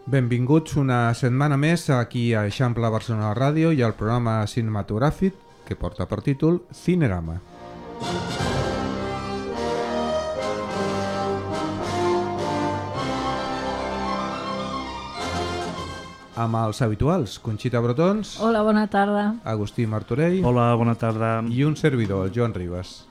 Benvinguts una setmana més aquí a Eixample Barcelona Ràdio i al programa cinematogràfic que porta per títol Cinerama. Amb els habituals, Conxita Brotons. Hola, bona tarda. Agustí Martorell. Hola, bona tarda. I un servidor, el Joan Ribas.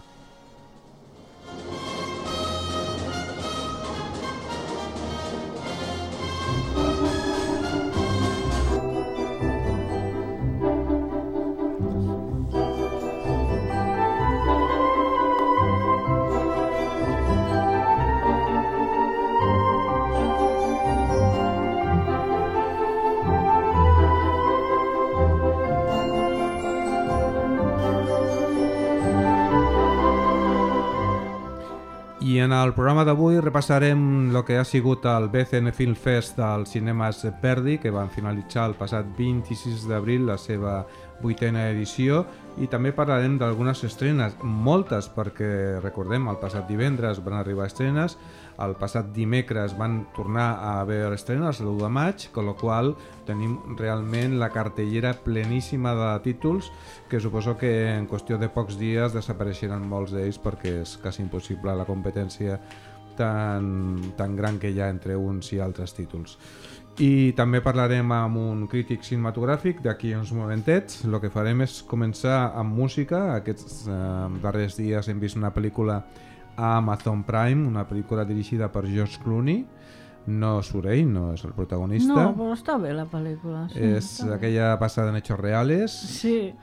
I en el programa d'avui repassarem el que ha sigut el BCN Film Fest dels cinemes Verdi, que van finalitzar el passat 26 d'abril la seva 8a edició, i també parlarem d'algunes estrenes, moltes, perquè recordem, el passat divendres van arribar estrenes, el passat dimecres van tornar a haver estrenes l'1 de maig, amb la qual tenim realment la cartellera pleníssima de títols que suposo que en qüestió de pocs dies desapareixeran molts d'ells perquè és quasi impossible la competència tan gran que hi ha entre uns i altres títols. I també parlarem amb un crític cinematogràfic d'aquí uns momentets. El que farem és començar amb música. Aquests darrers dies hem vist una pel·lícula a Amazon Prime, una pel·lícula dirigida per George Clooney. No surt ell, no és el protagonista. No, però està bé la pel·lícula. Sí, és aquella basada en hechos reales. Sí.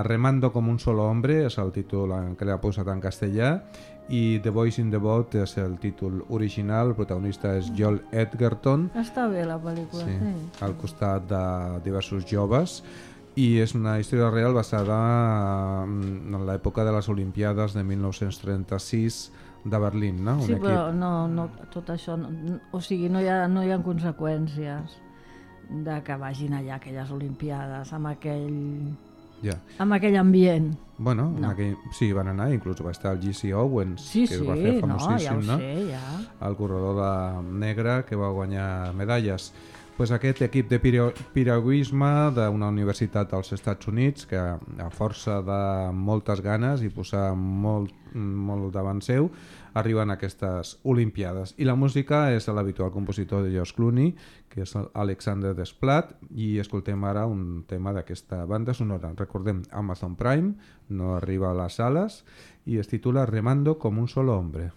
Remando como un solo hombre és el títol que l'ha posat en castellà, i The Boys in the Boat és el títol original. El protagonista és Joel Edgerton. Està bé la pel·lícula, sí. Al costat de diversos joves, i és una història real basada en l'època de les Olimpiades de 1936 de Berlín, no? Sí, però no, tot això, o sigui, no hi ha conseqüències de que vagin allà aquelles Olimpiades amb aquell ambient. Bueno, no. Sí, van anar, inclús va estar el Jesse Owens, que es va fer famosíssim, ja ho sé, ja. El corredor negre que va guanyar medalles. Pues aquest equip de piragüisme d'una universitat als Estats Units, que a força de moltes ganes i posar molt davant seu, arriben a aquestes Olimpiades. I la música és l'habitual compositor de George Clooney, que és Alexander Desplat, i escoltem ara un tema d'aquesta banda sonora. Recordem, Amazon Prime, no arriba a les sales, i es titula Remando como un solo hombre.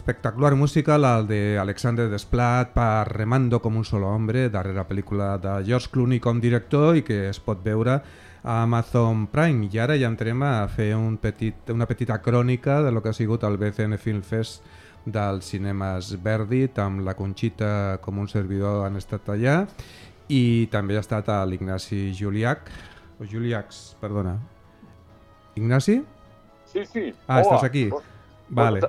espectacular musical, el de Alexander Desplat per Remando com un solo hombre, darrera pel·lícula de George Clooney com director i que es pot veure a Amazon Prime. I ara ja entrem a fer una petita crònica de lo que ha sigut el BCN Film Fest dels cinemes Verdi, amb la Conxita com un servidor han estat allà, i també ha estat l'Ignasi Juliach, o Juliacs, perdona. Ignasi? Sí, sí. Ah, hola. estàs aquí. Vale.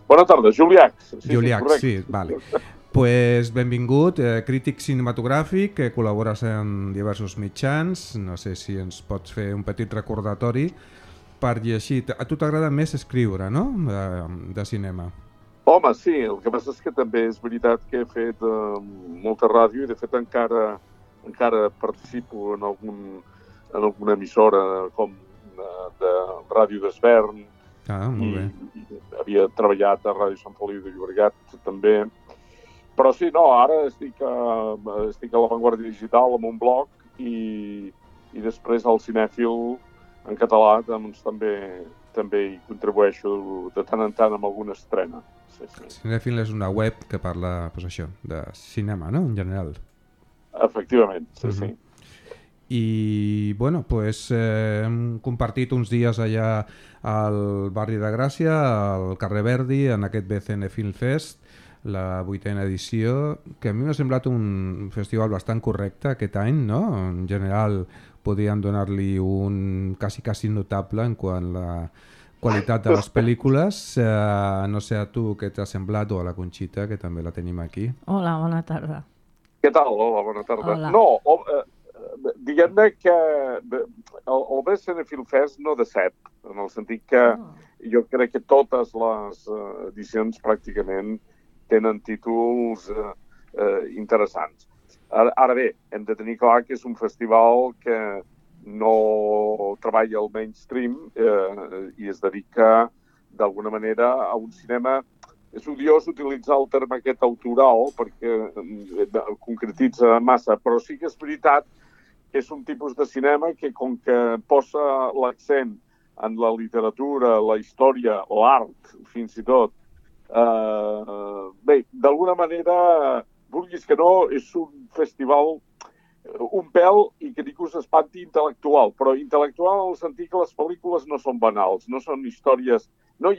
Bona tarda, Juliacs. Juliacs, sí, vale. Pues benvingut, crític cinematogràfic, que col·labores en diversos mitjans. No sé si ens pots fer un petit recordatori per llegir. A tu t'agrada més escriure, no?, de cinema. Home, sí, el que passa és que també és veritat que he fet molta ràdio i de fet encara participo en alguna emissora com de Ràdio d'Esvern. Ah, molt bé. I havia treballat a Ràdio Sant Feliu de Llobregat també. Però sí, no, ara estic a La Vanguardia Digital amb un blog i després al Cinèfil en català doncs, també hi contribueixo de tant en tant amb alguna estrena. Sí, sí. Cinèfil és una web que parla, pues això, de cinema, no?, en general. Efectivament, sí, sí. I, bueno, pues hem compartit uns dies allà al barri de Gràcia, al carrer Verdi, en aquest BCN Film Fest, la 8ª edició, que a mi m'ha semblat un festival bastant correcte aquest any, no? En general podríem donar-li un quasi notable en quant a la qualitat de les pel·lícules. No sé a tu què t'ha semblat, o a la Conxita, que també la tenim aquí. Hola, bona tarda. Què tal? Hola, bona tarda. Hola. No, diguem-ne que el BCN Film Fest no decep, en el sentit que jo crec que totes les edicions pràcticament tenen títols interessants. Ara bé, hem de tenir clar que és un festival que no treballa al mainstream i es dedica d'alguna manera a un cinema. És odiós utilitzar el terme aquest autoral perquè concretitza massa, però sí que és veritat que és un tipus de cinema que, com que posa l'accent en la literatura, la història, l'art, fins i tot, bé, d'alguna manera, vulguis que no, és un festival un pèl, i que ningú s'espanti, intel·lectual, però intel·lectual en el sentit que les pel·lícules no són banals, no són històries, no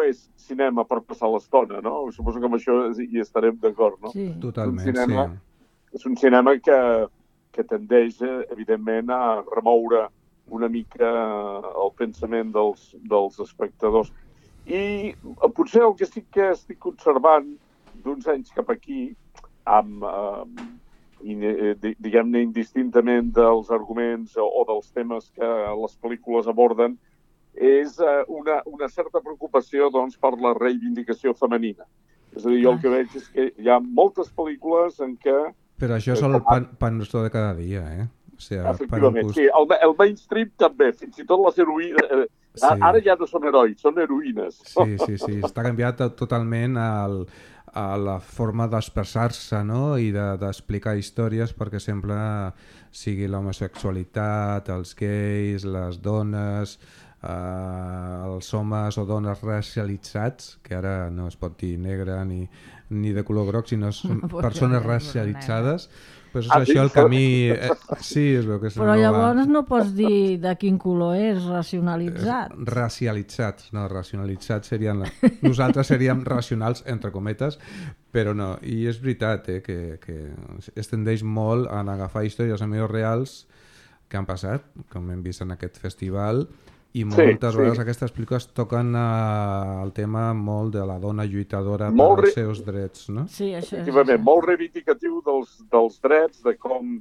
és cinema per passar l'estona, no? Suposo que amb això hi estarem d'acord, no? Sí. Totalment, És un cinema que tendeix, evidentment, a remoure una mica el pensament dels espectadors. I potser el que sí que estic observant d'uns anys cap aquí, diguem-ne indistintament dels arguments o dels temes que les pel·lícules aborden, és una certa preocupació doncs, per la reivindicació femenina. És a dir, jo el que veig és que hi ha moltes pel·lícules en què... Però això és el pan nostre de cada dia, eh? O sigui, efectivament, sí. El mainstream també, fins i tot les heroïnes... Sí. Ara ja no són herois, són heroïnes. Sí. Està canviat totalment a la forma d'expressar-se, no?, i d'explicar històries, perquè sempre sigui l'homosexualitat, els gais, les dones, els homes o dones racialitzats, que ara no es pot dir negre ni de color groc, sinó són persones racialitzades. Pues és això el camí... Sí, és el que és. Però llavors no pots dir de quin color és racionalitzat. Racialitzats, no, racionalitzats serien... Nosaltres seríem racionals, entre cometes, però no. I és veritat que es tendeix molt a agafar històries reals que han passat, com hem vist en aquest festival, i moltes vegades aquestes pel·lícules toquen el tema molt de la dona lluitadora pels seus drets, no? Sí, això és. Efectivament, molt reivindicatiu dels drets, de com,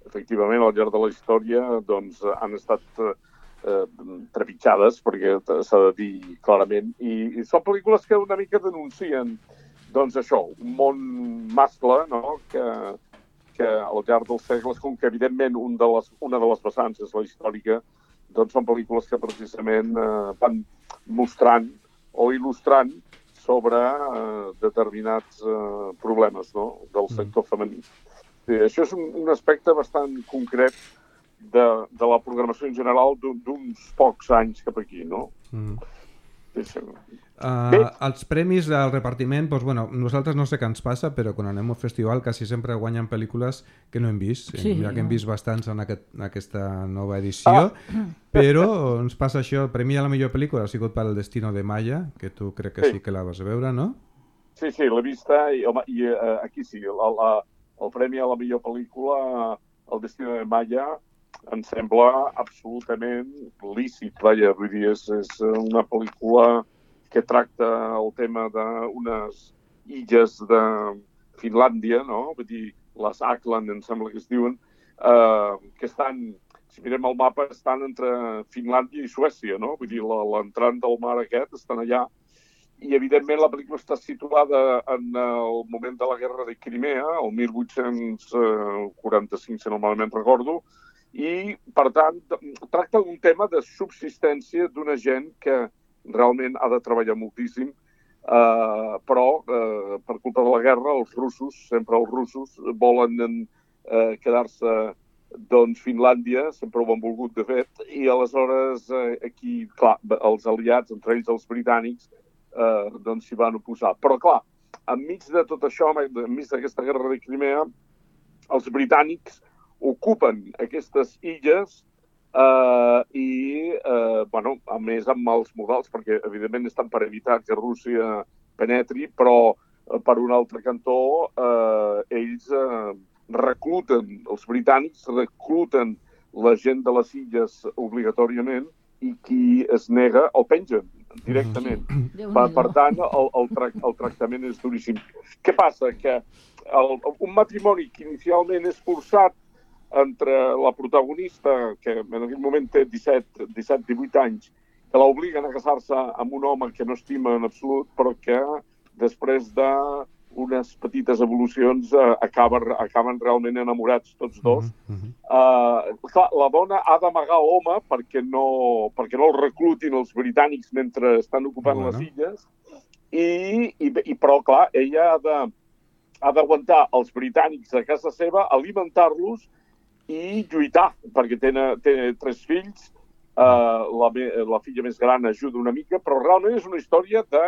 efectivament, al llarg de la història doncs, han estat trepitjades, perquè s'ha de dir clarament, i són pel·lícules que una mica denuncien doncs això, un món mascle, no?, que al llarg dels segles, com que evidentment una de les vessants és la històrica, doncs són pel·lícules que precisament van mostrant o il·lustrant sobre determinats problemes, no?, del sector femení. Sí, això és un aspecte bastant concret de la programació en general d'uns pocs anys cap aquí, no? Els premis del repartiment, doncs, bueno, nosaltres no sé què ens passa, però quan anem al festival quasi sempre guanyen pel·lícules que no hem vist. Sí, ja que hem vist bastants en aquesta nova edició, però ens passa això. El premi a la millor pel·lícula ha sigut per El destino de Maya, que tu crec que sí que la vas veure, no? Sí, l'he vista i aquí sí, el premi a la millor pel·lícula, El destino de Maya, em sembla absolutament lícit. Vaja, vull dir, és una pel·lícula que tracta el tema d'unes illes de Finlàndia, no? Vull dir, les Ackland, em sembla que es diuen, que estan, si mirem el mapa, estan entre Finlàndia i Suècia, no? Vull dir, l'entrant del mar aquest estan allà. I, evidentment, la pel·lícula està situada en el moment de la guerra de Crimea, el 1845, si no malament recordo, i, per tant, tracta d'un tema de subsistència d'una gent que realment ha de treballar moltíssim, però per culpa de la guerra sempre els russos volen quedar-se doncs Finlàndia, sempre ho han volgut de fet, i aleshores aquí, clar, els aliats, entre ells els britànics, doncs s'hi van oposar. Però clar, enmig de tot això, enmig d'aquesta guerra de Crimea, els britànics ocupen aquestes illes bueno, a més amb mals modals, perquè evidentment estan per evitar que Rússia penetri, però per un altre cantó ells recluten, els britànics recluten la gent de les illes obligatòriament i qui es nega el pengen directament. Per tant, el tractament és duríssim. Què passa? Que un matrimoni que inicialment és forçat entre la protagonista, que en aquell moment té 17-18 anys, que l'obliguen a casar-se amb un home que no estima en absolut, però que després d'unes petites evolucions acaben realment enamorats tots dos. Clar, la dona ha d'amagar l'home perquè no el reclutin els britànics mentre estan ocupant les illes, però, clar, ella ha d'aguantar els britànics a casa seva, alimentar-los i lluitar, perquè té 3 fills, la filla més gran ajuda una mica, però realment és una història de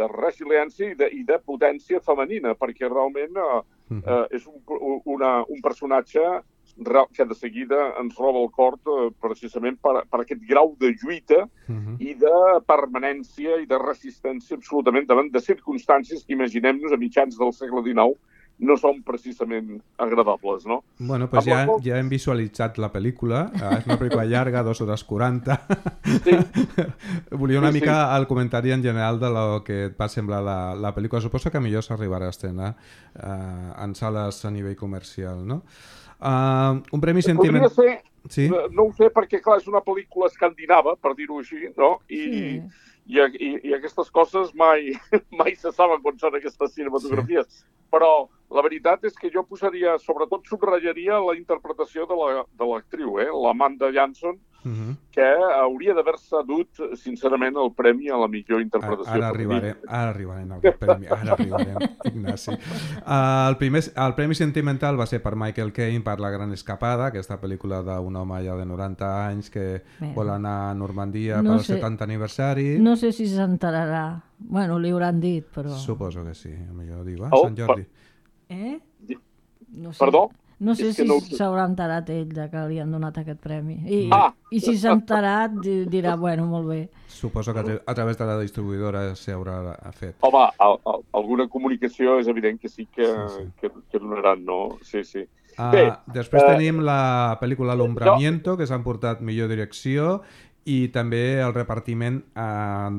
resiliència i de potència femenina, perquè realment és un personatge que de seguida ens roba el cor precisament per aquest grau de lluita i de permanència i de resistència absolutament davant de circumstàncies que, imaginem-nos, a mitjans del segle XIX no són precisament agradables, no? Bueno, doncs ja hem visualitzat la pel·lícula. És una pel·lícula llarga, 2 hores 40. Sí. Volia una mica el comentari en general de lo que et va semblar la pel·lícula. Suposo que millor s'arribarà a estrenar en sales a nivell comercial, no? Un premi sentiment... Podria ser, sí? No ho sé, perquè clar, és una pel·lícula escandinava, per dir-ho així, no? I aquestes coses mai se saben quan són aquestes cinematografies. Sí. Però la veritat és que jo posaria, sobretot subratllaria la interpretació de l'actriu, l'Amanda Jansson, que hauria d'haver-se dut, sincerament, el premi a la millor interpretació. Ara arribarem al premi, Ignasi. El premi sentimental va ser per Michael Caine per La gran escapada, aquesta pel·lícula d'un home ja de 90 anys que vol anar a Normandia pel 70 aniversari. No sé si s'enterarà. Bueno, li hauran dit, però... Suposo que sí, millor diu, Sant Jordi. No sé. Perdó? No sé si s'haurà enterat ell que li han donat aquest premi. I si s'ha enterat dirà, bueno, molt bé. Suposo que a través de la distribuïdora s'haurà fet. Home, alguna comunicació és evident que sí que donaran, no? Sí. Després tenim la pel·lícula L'Ombramiento, que s'han portat millor direcció, i també el repartiment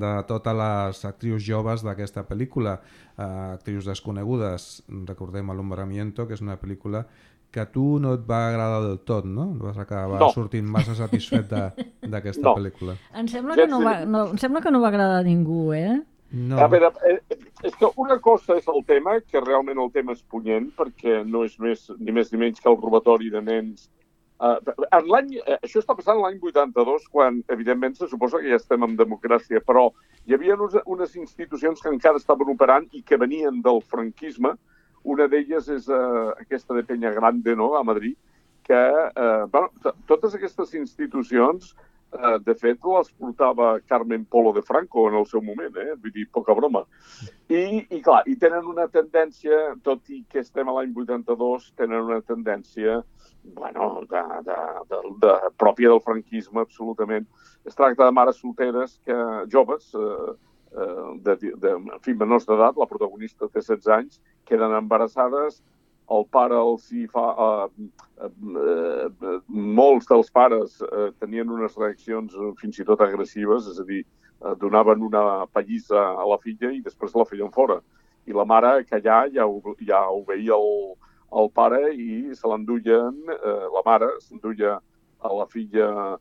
de totes les actrius joves d'aquesta pel·lícula, actrius desconegudes. Recordem L'Ombramiento, que és una pel·lícula que a tu no et va agradar del tot, no? Vas acabar sortint massa satisfet d'aquesta pel·lícula. Em sembla que no va agradar a ningú, No. A veure, és que una cosa és el tema, que realment el tema és punyent, perquè no és ni més ni menys que el robatori de nens. Això està passant l'any 82, quan, evidentment, se suposa que ja estem en democràcia, però hi havia unes institucions que encara estaven operant i que venien del franquisme. Una d'elles és aquesta de Peña Grande, no?, a Madrid, que totes aquestes institucions De fet, les portava Carmen Polo de Franco en el seu moment, vull dir, poca broma. I clar, i tenen una tendència, tot i que estem a l'any 82, tenen una tendència, bueno, pròpia del franquisme, absolutament. Es tracta de mares solteres, joves, en fi, menors d'edat, la protagonista té 16 anys, queden embarassades, el pare els hi fa... molts dels pares tenien unes reaccions fins i tot agressives, és a dir, donaven una pallissa a la filla i després la feien fora. I la mare, que ja obeïa el pare i se l'enduien, la mare s'enduia a la filla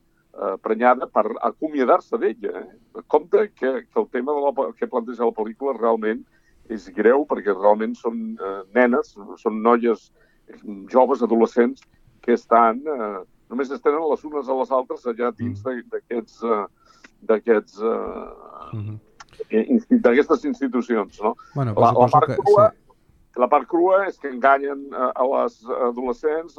prenyada per acomiadar-se d'ella. Compte que el tema que planteja la pel·lícula realment és greu, perquè realment són nenes, són noies joves, adolescents, que estan, només es tenen les unes a les altres allà dins d'aquestes institucions, no? Bueno, la part crua és que enganyen a les adolescents,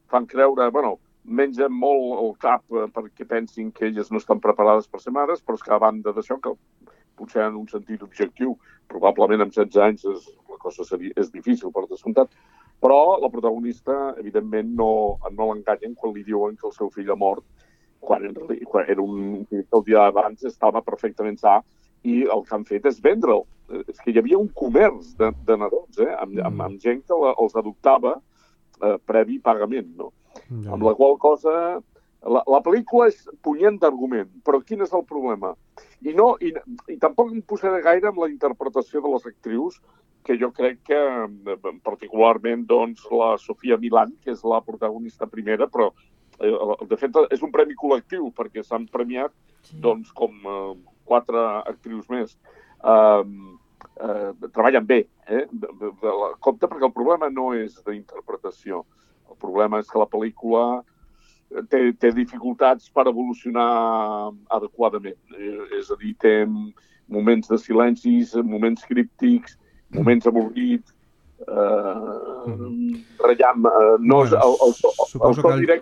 fan creure, bueno, mengen molt el cap perquè pensin que elles no estan preparades per ser mares, però és que a banda d'això, que potser en un sentit objectiu, probablement amb 16 anys la cosa és difícil, per descomptat, però la protagonista, evidentment, no l'enganyen quan li diuen que el seu fill ha mort, quan era el dia abans estava perfectament sa, i el que han fet és vendre'l. És que hi havia un comerç de nadons, amb gent que els adoptava previ pagament, no? Amb la qual cosa... La pel·lícula és punyent d'argument, però quin és el problema? I tampoc em posaré gaire amb la interpretació de les actrius, que jo crec que, particularment, doncs, la Sofia Milán, que és la protagonista primera, però, de fet, és un premi col·lectiu, perquè s'han premiat, doncs, com 4 actrius més. Treballen bé, compte, perquè el problema no és d'interpretació. El problema és que la pel·lícula té dificultats per evolucionar adequadament. És a dir, té moments de silencis, moments críptics, moments avorrits, ratllam... Suposo que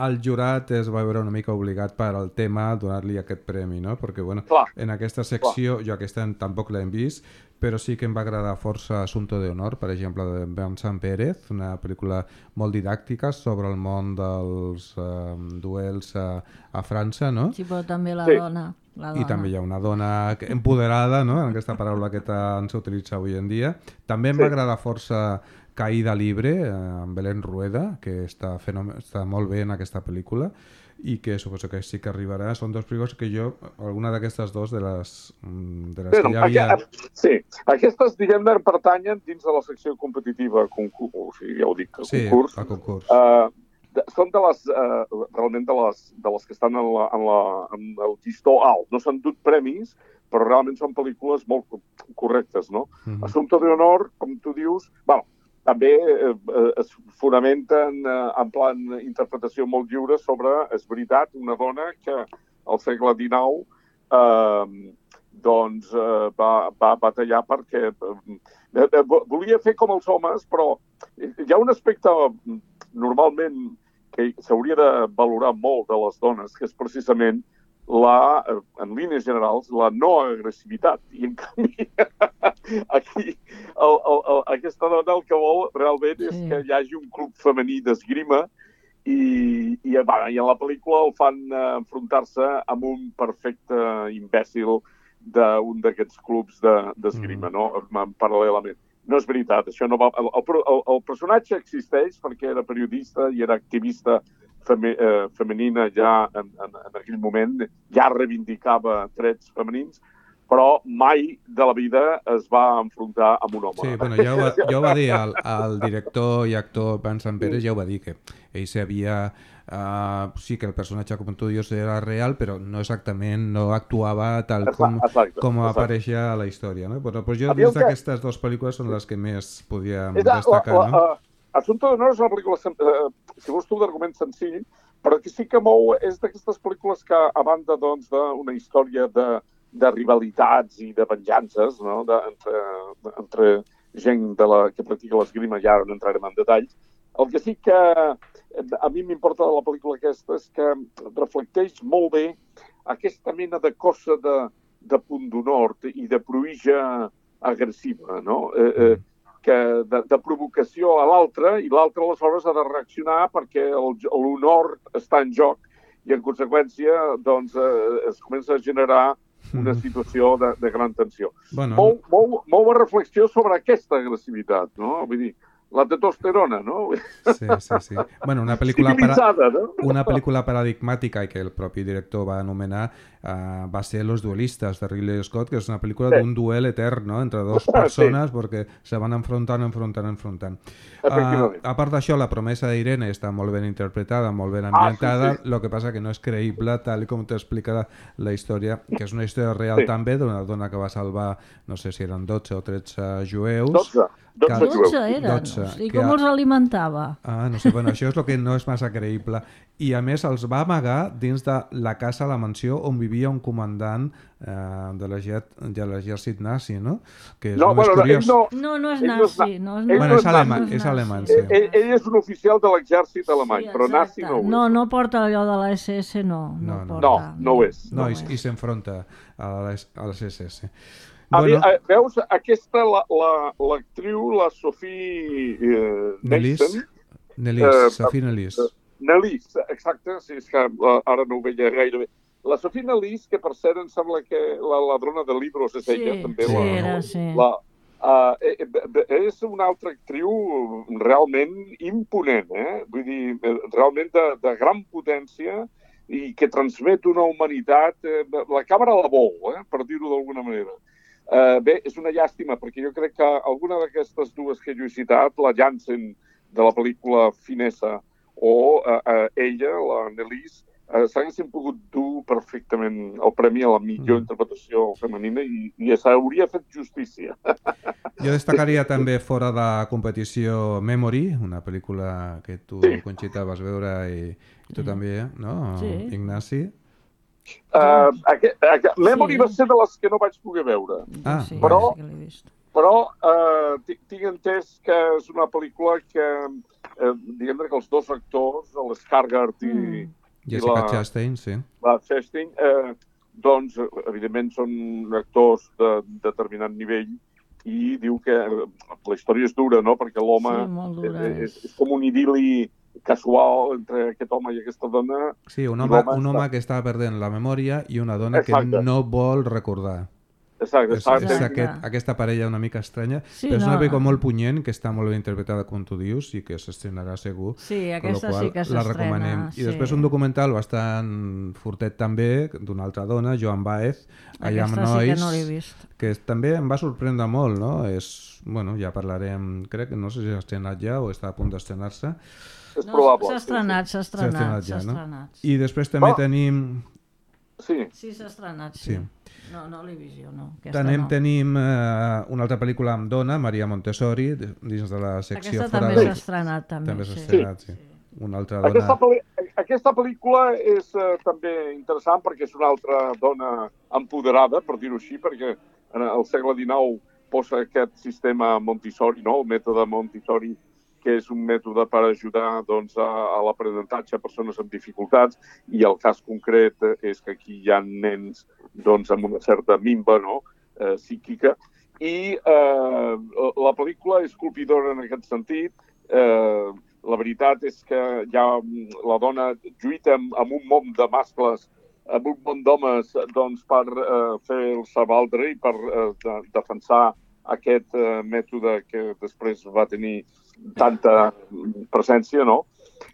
el jurat es va veure una mica obligat per al tema a donar-li aquest premi, no? Perquè, bueno, en aquesta secció, jo aquesta tampoc l'hem vist, però sí que em va agradar força Asunto de Honor, per exemple, de Vincent Pérez, una pel·lícula molt didàctica sobre el món dels duels a França, no? Sí, però també la dona. I també hi ha una dona empoderada, no? En aquesta paraula que tant s'utilitza avui en dia. També em va agradar força Caída Libre, amb Belén Rueda, que està molt bé en aquesta pel·lícula, i que suposo que sí que arribarà. Són 2 pel·lícules que jo, alguna d'aquestes 2 de les que ja havia... Sí, aquestes, diguem-ne, pertanyen dins de la secció competitiva, o sigui, ja ho dic, concurs. Sí, a concurs. Són realment de les que estan en el llistó alt. No s'han dut premis, però realment són pel·lícules molt correctes, no? Asunto de Honor, com tu dius, també es fonamenten en plan interpretació molt lliure sobre, és veritat, una dona que al segle XIX doncs va batallar perquè volia fer com els homes, però hi ha un aspecte normalment que s'hauria de valorar molt de les dones, que és precisament en línies generals, la no agressivitat. I en canvi, aquí, aquesta dona el que vol realment és que hi hagi un club femení d'esgrima i en la pel·lícula el fan enfrontar-se amb un perfecte imbècil d'un d'aquests clubs d'esgrima, no? Paral·lelament. No és veritat, això no va... El personatge existeix perquè era periodista i era activista femenina ja en aquell moment, ja reivindicava drets femenins, però mai de la vida es va enfrontar amb un home. Sí, bueno, ja ho va dir el director i actor Vincent Pérez, ja ho va dir, que ell sabia... sí que el personatge, com tu dius, era real, però no exactament, no actuava tal com apareixia a la història, no? Però jo dins d'aquestes 2 pel·lícules són les que més podíem destacar, no? Asunto de Honor és una pel·lícula, si vols tu, d'argument senzill, però que sí que mou, és d'aquestes pel·lícules que, a banda doncs, d'una història de rivalitats i de venjances, no? Entre gent que practica l'esgrima, ja no entrarem en detalls, El que sí que a mi m'importa de la pel·lícula aquesta és que reflecteix molt bé aquesta mena de cosa de punt d'honor i de pruïja agressiva, no? De provocació a l'altre, i l'altre aleshores ha de reaccionar perquè l'honor està en joc i en conseqüència doncs, es comença a generar una situació de gran tensió. Bueno, Molt reflexió sobre aquesta agressivitat, no? Vull dir, la testosterona, no? Sí. Bueno, una pel·lícula civilitzada, no? Una pel·lícula paradigmàtica i que el propi director va anomenar va ser Los duelistas de Ridley Scott, que és una pel·lícula d'un duel etern, no? Entre dos persones perquè se van enfrontant. A part d'això, la promesa d'Irene està molt ben interpretada, molt ben ambientada, el que passa que no és creïble tal com t'explica la història, que és una història real també d'una dona que va salvar, no sé si eren 12 o 13 jueus. 12 eren. I com els alimentava? No sé, bueno, això és el que no és massa creïble. I a més els va amagar dins de la casa, la mansió, on vivia un comandant de l'exèrcit nazi, no? Que és molt curiós. No és nazi. Bueno, és alemany, sí. Ell és un oficial de l'exèrcit alemany, però nazi no ho és. No porta allò de la SS, no. No ho és. No, i s'enfronta a les SS. Veus, aquesta, l'actriu, la Sophie Nellis. Sophie Nellis. Nellis, exacte, sí, és que ara no ho veia gaire bé. La Sophie Nellis, que per cert em sembla que la ladrona de libros és ella, també. És una altra actriu realment imponent, vull dir, realment de gran potència i que transmet una humanitat, la càmera la vol, per dir-ho d'alguna manera. Bé, és una llàstima, perquè jo crec que alguna d'aquestes dues que jo he citat, la Jansen de la pel·lícula Finesa o ella, la Nellis, s'haguessin pogut dur perfectament el premi a la millor interpretació femenina i s'hauria fet justícia. Jo destacaria també fora de competició Memory, una pel·lícula que tu, Conxita, vas veure i tu també, no, Ignasi? Memory va ser de les que no vaig poder veure. Però tinc entès que és una pel·lícula que, diguem que els dos actors, l'Skarsgård i Jessica Chastain, sí. La Chastain, doncs, evidentment, són actors de determinat nivell i diu que la història és dura, no?, perquè l'home és com un idil·li casual entre aquest home i aquesta dona. Sí, un home que està perdent la memòria i una dona que no vol recordar. Exacte. És aquesta parella una mica estranya, però és una pel·lícula molt punyent, que està molt ben interpretada, com tu dius, i que s'estrenarà segur. Sí, aquesta sí que s'estrena. La recomanem. I després un documental bastant fortet també, d'una altra dona, Joan Baez, I Am Noise, sí que no l'he vist. Que també em va sorprendre molt, no? Bueno, ja parlarem, crec que no sé si s'ha estrenat ja o està a punt d'estrenar-se. És probable. S'ha estrenat. I després també tenim... Sí, s'ha estrenat, sí. No l'he vist jo, no. Tenim una altra pel·lícula amb dona, Maria Montessori, dins de la secció Aquesta també s'ha estrenat, sí. Una altra dona... Aquesta pel·lícula és també interessant perquè és una altra dona empoderada, per dir-ho així, perquè en el segle XIX posa aquest sistema Montessori, no? El mètode Montessori, que és un mètode per ajudar doncs, a l'aprenentatge a persones amb dificultats, i el cas concret és que aquí hi ha nens doncs, amb una certa minva, no? Psíquica, i la pel·lícula és colpidora en aquest sentit. La veritat és que ja la dona lluita amb un munt de mascles, amb un munt d'homes doncs, per fer-se valdre i per defensar aquest mètode que després va tenir tanta presència, no?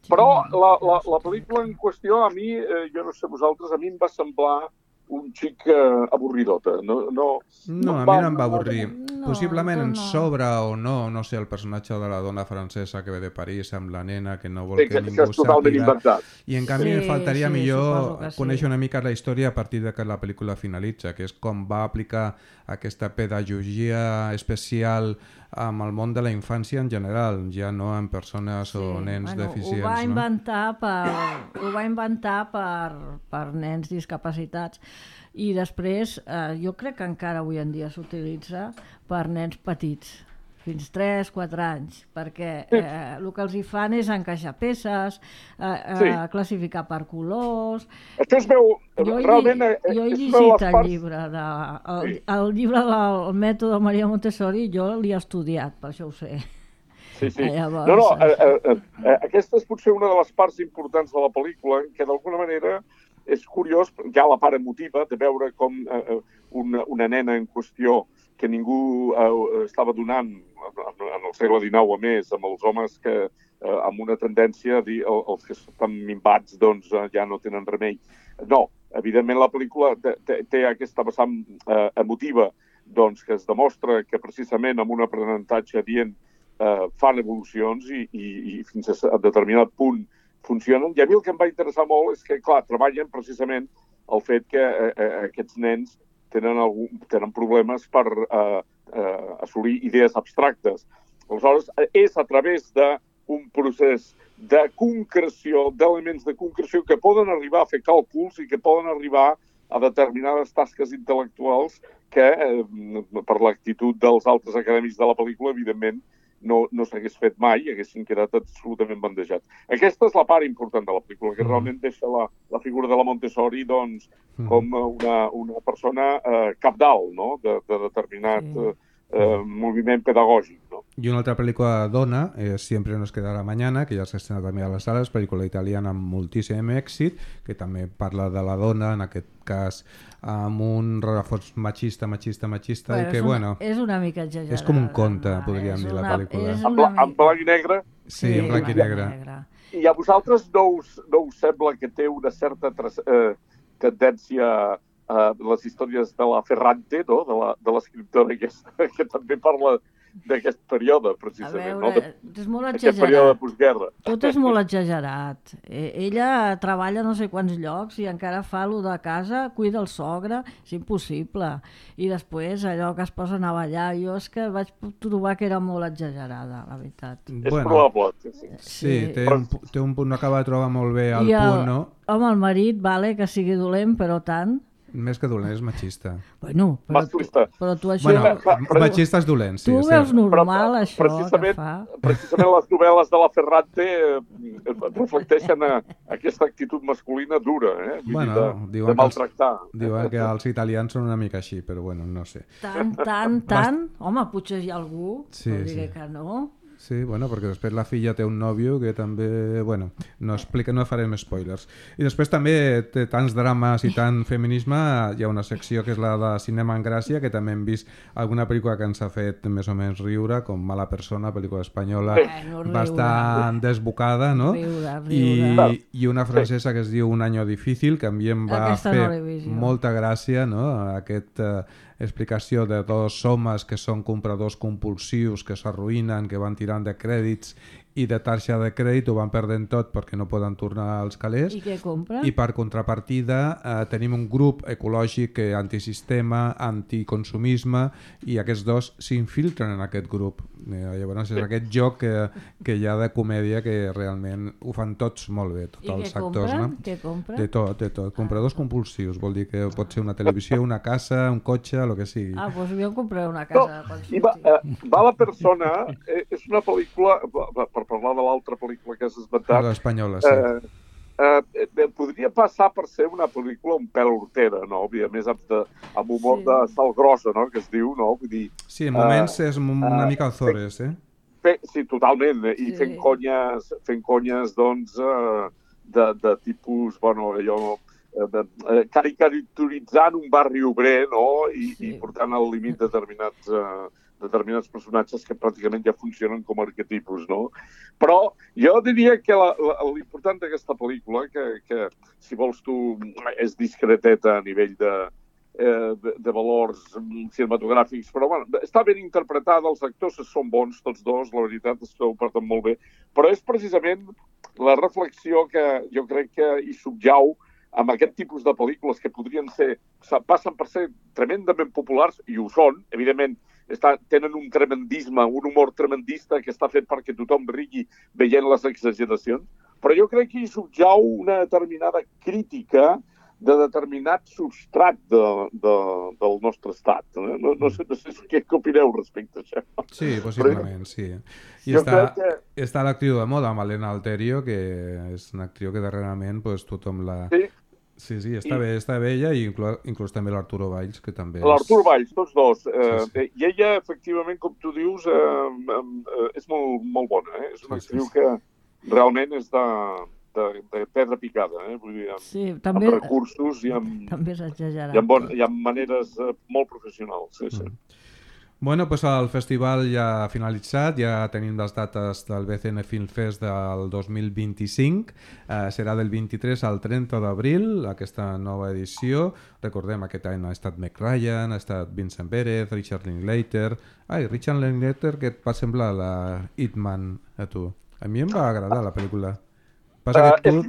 Però la pel·lícula en qüestió, a mi, jo no sé vosaltres, a mi em va semblar un xic avorridota. No, a mi no em va avorrir. Possiblement en sobra o no sé, el personatge de la dona francesa que ve de París amb la nena que no vol que ningú sàpiga. I en canvi em faltaria millor conèixer una mica la història a partir de que la pel·lícula finalitza, que és com va aplicar aquesta pedagogia especial amb el món de la infància en general, ja no en persones o nens deficients. Ho va inventar per nens discapacitats i després jo crec que encara avui en dia s'utilitza per nens petits. fins 3-4 anys, perquè el que els hi fan és encaixar peces, classificar per colors... Això es veu, realment... Jo he llegit el llibre, el llibre del mètode Maria Montessori, jo l'he estudiat, per això ho sé. Sí. Aquesta és potser una de les parts importants de la pel·lícula, que d'alguna manera és curiós, hi ha la part emotiva de veure com una nena en qüestió que ningú estava donant en el segle XIX a més, amb els homes que amb una tendència a dir els que estan minvats doncs ja no tenen remei. No, evidentment la pel·lícula té aquesta vessant emotiva doncs, que es demostra que precisament amb un aprenentatge adient fan evolucions i fins a determinat punt funcionen. I a mi el que em va interessar molt és que, clar, treballen precisament el fet que aquests nens tenen problemes per assolir idees abstractes. Aleshores, és a través d'un procés de concreció, d'elements de concreció que poden arribar a fer càlculs i que poden arribar a determinades tasques intel·lectuals que, per l'actitud dels altres acadèmics de la pel·lícula, evidentment, no s'hagués fet mai i haguessin quedat absolutament bandejats. Aquesta és la part important de la pel·lícula, que realment deixa la figura de la Montessori doncs, com una persona cabdal, no? de determinat moviment pedagògic. No? I una altra pel·lícula dona és Siempre nos quedará mañana, que ja s'ha estrenat també a les sales, pel·lícula italiana amb moltíssim èxit, que també parla de la dona, en aquest cas amb un rerefons machista, que bueno... És una mica exagerada. És com un conte, podríem dir, la pel·lícula. En blanc i negre? Sí, en blanc i negre. I a vosaltres no us sembla que té una certa tendència a les històries de la Ferrante, no? de l'escriptora aquesta, que també parla d'aquest període, precisament. A veure, és molt exagerat. Aquest període de postguerra. Tot és molt exagerat. Ella treballa no sé quants llocs i encara fa allò de casa, cuida el sogre, és impossible. I després allò que es posen a ballar, jo és que vaig trobar que era molt exagerada, la veritat. És probable. Sí, té un punt, no acaba de trobar molt bé el punt, no? Home, el marit, vale, que sigui dolent, però tant... Més que dolent, és machista. Bueno, però tu això... Bueno, machista és dolent, sí. Tu veus normal, això que fa? Precisament les novel·les de la Ferrante reflecteixen aquesta actitud masculina dura, bueno, de maltractar. Diuen que els italians són una mica així, però bueno, no sé. Tant? Home, potser hi ha algú, sí, no diré que no. Sí, bueno, perquè després la filla té un nòvio que també, bueno, no farem spoilers. I després també té tants drames i tant feminisme, hi ha una secció que és la de Cinema en Gràcia, que també hem vist alguna pel·lícula que ens ha fet més o menys riure, com Mala persona, pel·lícula espanyola, bastant desbocada, no? Riure. I una francesa que es diu Un año difícil, que a mi em va fer molta gràcia, no? Aquesta explicació de dos homes que són compradors compulsius, que s'arruïnen, que van tirant de crèdits i de taxa de crèdit, ho van perdent tot perquè no poden tornar als calés. I què compren? I per contrapartida tenim un grup ecològic antisistema, anticonsumisme, i aquests dos s'infiltren en aquest grup. Llavors és aquest joc que hi ha de comèdia que realment ho fan tots molt bé, tots els actors. No? Què compren? De tot. Compradors compulsius, vol dir que pot ser una televisió, una casa, un cotxe, el que sigui. Doncs jo compraré una casa. Mala persona és una pel·lícula, per parlar de l'altra pel·lícula que has esmentat... L'espanyola, sí. Podria passar per ser una pel·lícula un pèl hortera, no? A més, amb humor de sal grossa, no? Que es diu, no? Vull dir... Sí, en moments és una mica Azores, Sí, totalment. I fent conyes, doncs, de tipus, bueno, allò... caricaturitzant un barri obrer, no? I portant al límit determinats personatges que pràcticament ja funcionen com a arquetipus, no? Però jo diria que l'important d'aquesta pel·lícula, que si vols tu és discreteta a nivell de valors cinematogràfics, però bueno, està ben interpretada, els actors són bons tots dos, la veritat és que ho porten molt bé, però és precisament la reflexió que jo crec que hi subjau amb aquest tipus de pel·lícules que passen per ser tremendament populars, i ho són, evidentment, tenen un tremendisme, un humor tremendista que està fet perquè tothom rigui veient les exageracions, però jo crec que hi subjau una determinada crítica de determinat substrat del nostre estat. No sé què opineu respecte a això. Sí, possiblement, sí. I està l'actriu de moda, Malena Alterio, que és una actriu que darrerament pues, tothom la... Sí, està bé ella i inclús també l'Arturo Valls, que també és... L'Arturo Valls, tots dos. Sí. I ella, efectivament, com tu dius, és molt bona. És una actriu que realment és de pedra picada, vull dir, amb recursos i amb maneres molt professionals. Sí. Bueno, pues el festival ja ha finalitzat, ja tenim les dates del BCN Film Fest del 2025, serà del 23 al 30 d'abril, aquesta nova edició. Recordem, aquest any ha estat Meg Ryan, ha estat Vincent Pérez, Richard Linklater... Richard Linklater, que et va semblar la Hitman a tu? A mi em va agradar la pel·lícula. Passa que tu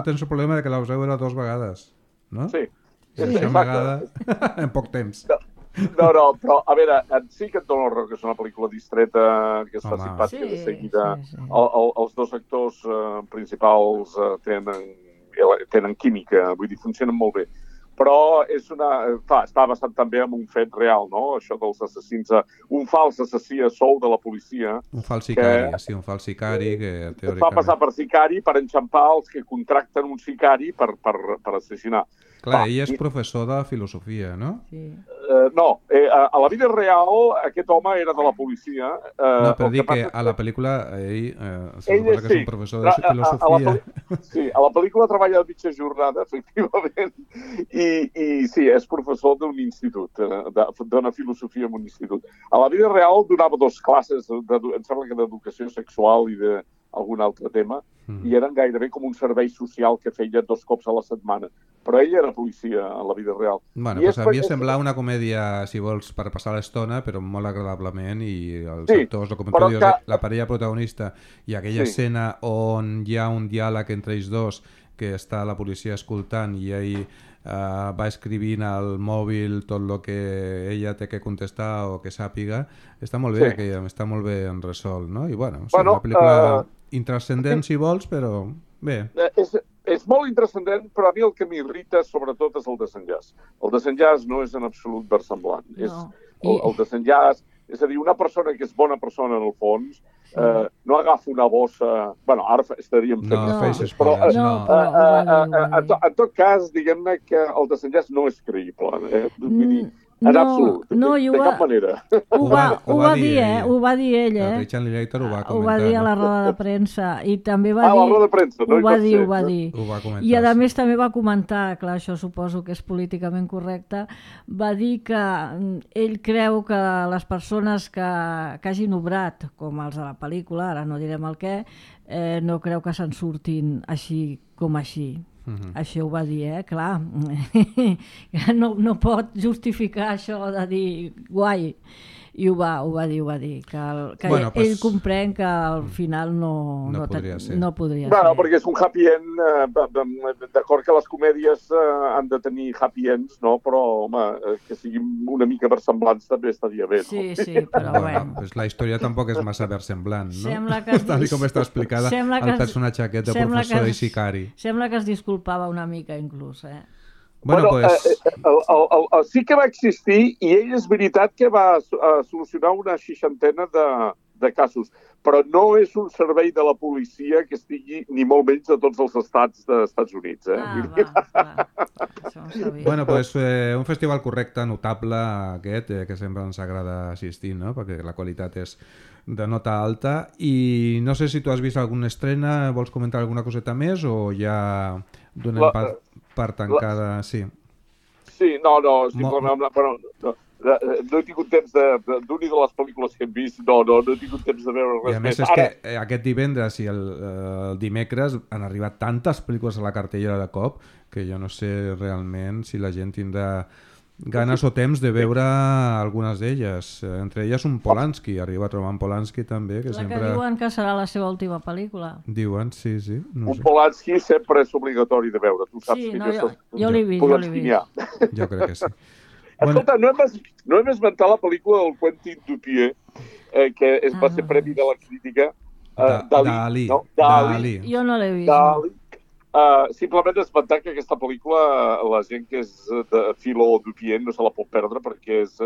tens el problema de que l'has veure 2 vegades, no? Sí. Una vegada en poc temps. No, però, a veure, sí que et dono raó que és una pel·lícula distreta, que es fa simpàtica de seguida. Els dos actors principals tenen química, vull dir, funcionen molt bé. Però està basat també en un fet real, no? Això dels assassins, un fals assassí a sou de la policia. Un fals sicari, un fals sicari que teòricament... Fa passar per sicari per enxampar els que contracten un sicari per assassinar. Clar, ell és professor de filosofia, no? Sí. No, a la vida real aquest home era de la policia. No, però dic que a la pel·lícula ell suposa que és un professor de filosofia. Sí, a la pel·lícula treballa a mitja jornada, efectivament, i sí, és professor d'un institut, dona filosofia en un institut. A la vida real donava 2 classes, em sembla que d'educació sexual i d'algun altre tema, i eren gairebé com un servei social que feia 2 cops a la setmana. Però ell era policia a la vida real. Bueno, pues a mi sembla una comèdia, si vols, per passar l'estona, però molt agradablement, i els actors, com tu dius, la parella protagonista, i aquella escena on hi ha un diàleg entre ells dos, que està la policia escoltant i ell va escrivint al mòbil tot el que ella té que contestar o que sàpiga, està molt bé, que està molt bé en resolt, no? I bueno, és una pel·lícula intrascendent si vols, però bé. És molt intrascendent, però a mi el que m'irrita sobretot és el desenllaç. El desenllaç no és en absolut versemblant. El desenllaç, és a dir, una persona que és bona persona en el fons, no agafa una bossa... Bueno, ara estaríem fent... Però en tot cas, diguem-ne que el desenllaç no és creïble. En absolut, de cap manera. Ho va dir ell, Richard Linklater ho va comentar. Ho va dir a la roda de premsa. I també va dir... la roda de premsa, no? Ho va dir. Ho va comentar. I a més també va comentar, clar, això suposo que és políticament correcte, va dir que ell creu que les persones que hagin obrat, com els de la pel·lícula, ara no direm el què, no creu que se'n surtin així com així. Això ho va dir, clar. No pot justificar això de dir guai. I ho va dir, que ell comprèn que al final no podria ser. Bueno, perquè és un happy end, d'acord que les comèdies han de tenir happy ends, no? Però, home, que siguin una mica versemblants també estaria bé, no? Sí, però bueno. Pues la història tampoc és massa versemblant, no? Tal com està explicada el personatge aquest de professor i sicari. Sembla que es disculpava una mica, inclús, Bueno, sí que va existir i ell és veritat que va solucionar una 60ena de casos, però no és un servei de la policia que estigui ni molt menys de tots els estats dels Estats Units. Bueno, pues un festival correcte, notable aquest, que sempre ens agrada assistir, no? Perquè la qualitat és de nota alta. I no sé si tu has vist alguna estrena, vols comentar alguna coseta més o ja donem per tancada? Sí, no, no he tingut temps d'una de les pel·lícules que hem vist, no he tingut temps de veure res més. I a més és que aquest divendres i el dimecres han arribat tantes pel·lícules a la cartellera de cop que jo no sé realment si la gent tindrà ganes o temps de veure algunes d'elles. Entre elles un Polanski, arriba Roman Polanski també. Que sempre... que diuen que serà la seva última pel·lícula. Diuen, sí. No sé. Polanski sempre és obligatori de veure. Tu saps jo l'he vist. Jo crec que sí. Escolta, no hem esmentat la pel·lícula del Quentin Dupieux, que va ser premi de la crítica. Dalí. Jo no l'he vist. Simplement esmentar que aquesta pel·lícula, la gent que és de Philo Dupien no se la pot perdre, perquè és,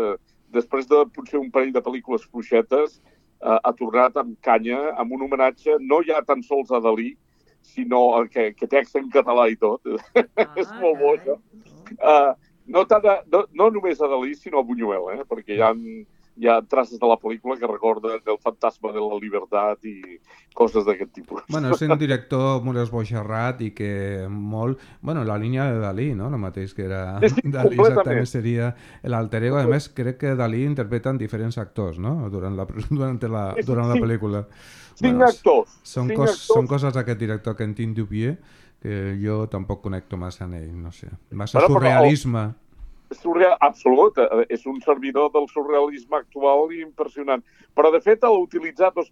després de potser un parell de pel·lícules fluixetes, ha tornat amb canya, amb un homenatge no ja tan sols a Dalí, sinó que té accent català i tot. És molt bo, això. No només a Dalí, sinó a Buñuel, perquè hi ha traces de la pel·lícula que recorden el fantasma de la llibertat i coses d'aquest tipus. Bueno, és un director molt esboixarrat i que molt... Bueno, la línia de Dalí, no? El mateix que era Dalí exactament seria l'alter ego. A més, crec que Dalí interpreta en diferents actors, no? Durant la pel·lícula. 5 actors. Són coses d'aquest director, Quentin Dupieux, que jo tampoc connecto massa amb ell, no sé. Massa surrealisme. Absolut, és un servidor del surrealisme actual i impressionant. Però, de fet, utilitzar dos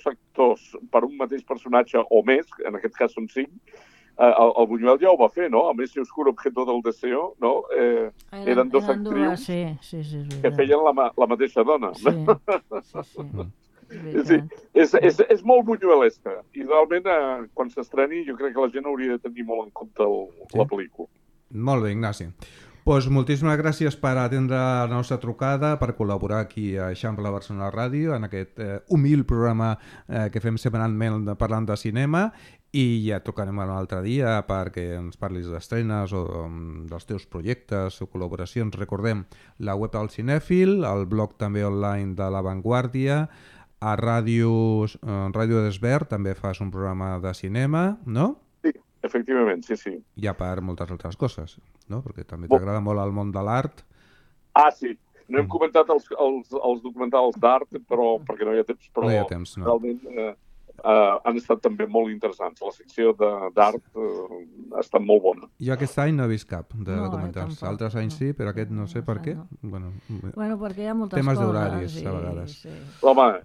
actors per un mateix personatge o més, en aquest cas són 5, el Buñuel ja ho va fer, no? A més, Oscuro objeto del deseo, no? Eren dos actrius que feien la mateixa dona. Sí. És molt buñuelesca i realment quan s'estreni jo crec que la gent hauria de tenir molt en compte la pel·lícula. Molt bé, Ignasi. Pues moltíssimes gràcies per atendre la nostra trucada, per col·laborar aquí a Eixample Barcelona Ràdio en aquest humil programa que fem setmanalment parlant de cinema, i ja trucarem un altre dia perquè ens parlis d'estrenes o dels teus projectes o col·laboracions. Recordem la web del Cinèfil, el blog també online de La Vanguardia, a Ràdio Desvern també fas un programa de cinema, no? Efectivament, sí. I a part moltes altres coses, no? Perquè també t'agrada molt el món de l'art. Sí. No hem comentat els documentals d'art, però perquè no hi ha temps, però realment han estat també molt interessants. La secció d'art ha estat molt bona. Jo aquest any no he vist cap de documentals. Altres anys sí, però aquest no sé per què. Bueno, perquè hi ha moltes temes coses. d'horaris, a vegades. Sí. Home,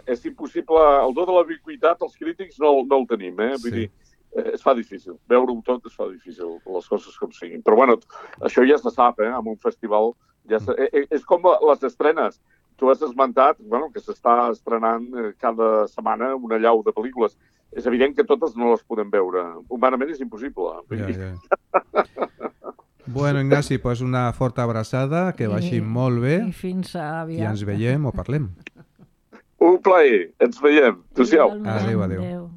és impossible. El do de la ubiquitat, els crítics no el tenim, Vull dir, es fa difícil. Veure-ho tot es fa difícil, les coses com siguin. Però bueno, això ja se sap, en un festival. És com les estrenes. Tu has esmentat que s'està estrenant cada setmana una llau de pel·lícules. És evident que totes no les podem veure. Humanament és impossible. Bueno, Ignasi, pues una forta abraçada, que vagi molt bé. I fins aviat. I ens veiem o parlem. Un plaer. Ens veiem. Adéu-siau. Adéu.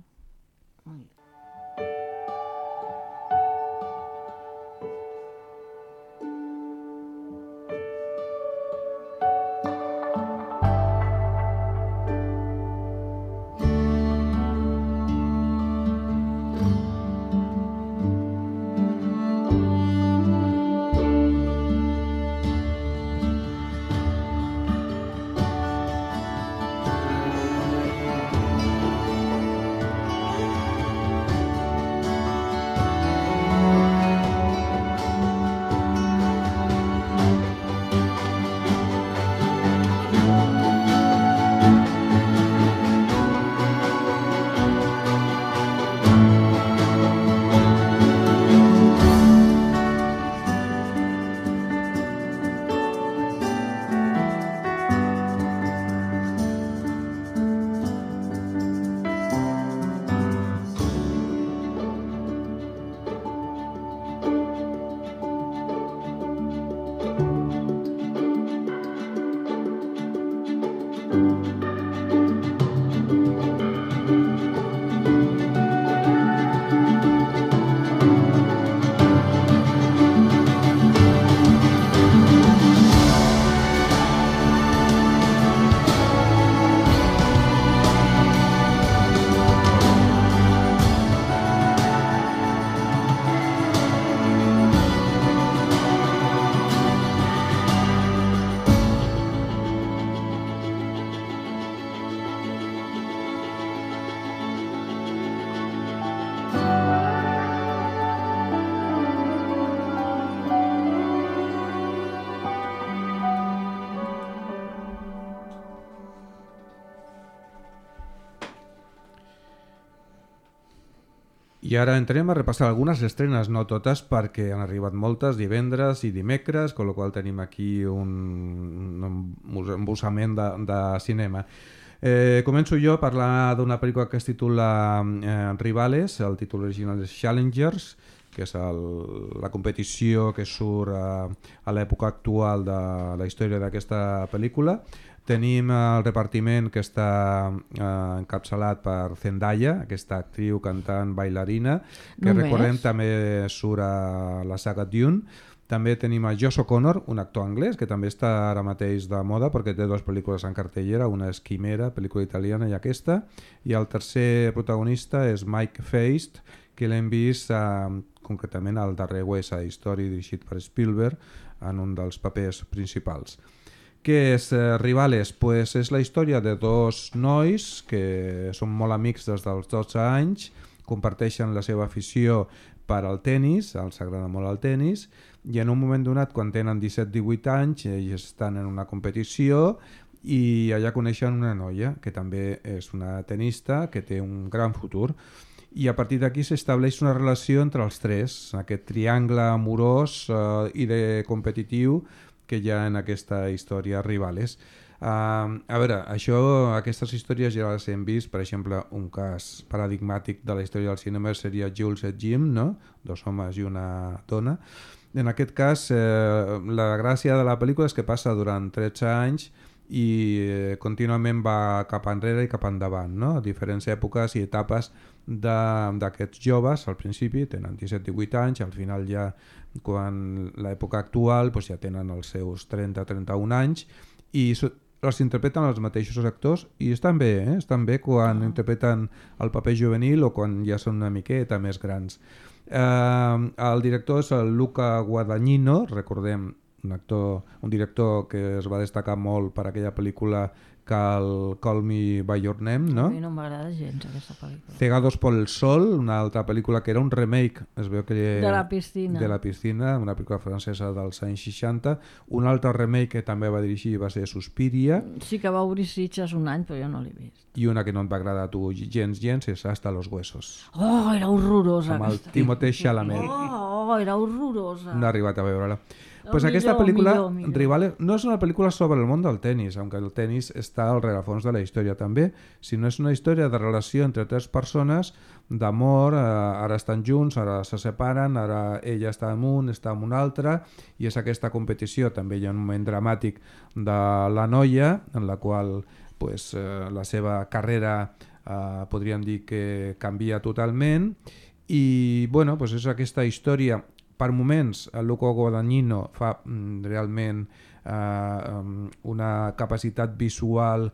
I ara entrem a repassar algunes estrenes, no totes, perquè han arribat moltes divendres i dimecres, amb la qual tenim aquí un embussament de cinema. Començo jo a parlar d'una pel·lícula que es titula Rivales, el títol original és Challengers, que és la competició que surt a l'època actual de la història d'aquesta pel·lícula. Tenim el repartiment que està encapçalat per Zendaya, aquesta actriu, cantant, bailarina, que recordem també surt a la saga Dune. També tenim a Josh O'Connor, un actor anglès que també està ara mateix de moda perquè té dues pel·lícules en cartellera, una és Quimera, pel·lícula italiana, i aquesta, i el tercer protagonista és Mike Feist, que l'hem vist concretament al darrer West Side Story dirigit per Spielberg en un dels papers principals. Què és Rivales? Pues és la història de dos nois que són molt amics des dels 12 anys, comparteixen la seva afició per al tennis, els agrada molt el tennis, i en un moment donat, quan tenen 17-18 anys, ells estan en una competició i allà coneixen una noia que també és una tenista que té un gran futur. I a partir d'aquí s'estableix una relació entre els tres, aquest triangle amorós i de competitiu que hi ha en aquesta història Rivales. A veure, aquestes històries ja les hem vist, per exemple, un cas paradigmàtic de la història del cinema seria Jules et Jim, no? Dos homes i una dona. En aquest cas, la gràcia de la pel·lícula és que passa durant 13 anys i contínuament va cap enrere i cap endavant, no? A diferents èpoques i etapes d'aquests joves. Al principi tenen 17-18 anys, al final ja, quan l'època actual, doncs ja tenen els seus 30-31 anys i els interpreten els mateixos actors i estan bé, estan bé quan interpreten el paper juvenil o quan ja són una miqueta més grans. El director és el Luca Guadagnino, recordem, un director que es va destacar molt per aquella pel·lícula Call Me By Your Name, no? A mi no m'agrada gens aquesta pel·lícula. Cegados por el Sol, una altra pel·lícula que era un remake, es veu que de la piscina. De la piscina, una pel·lícula francesa dels anys 60. Un altre remake que també va dirigir va ser Suspiria. Sí que va obrir Sitges un any, però jo no l'he vist. I una que no et va agradar a tu gens és Hasta los Huesos. Oh, era horrorosa. Amb el Timothée Chalamet. Oh, era horrorosa. No he arribat a veure-la. Pues aquesta pel·lícula, Rivales, no és una pel·lícula sobre el món del tennis, aunque el tennis està al rerefons de la història també, sinó és una història de relació entre tres persones, d'amor, ara estan junts, ara se separen, ara ella està amb un, està amb un altre, i és aquesta competició. També hi ha un moment dramàtic de la noia, en la qual pues, la seva carrera podríem dir que canvia totalment, i bueno, pues és aquesta història. Per moments, el Luca Guadagnino fa realment una capacitat visual,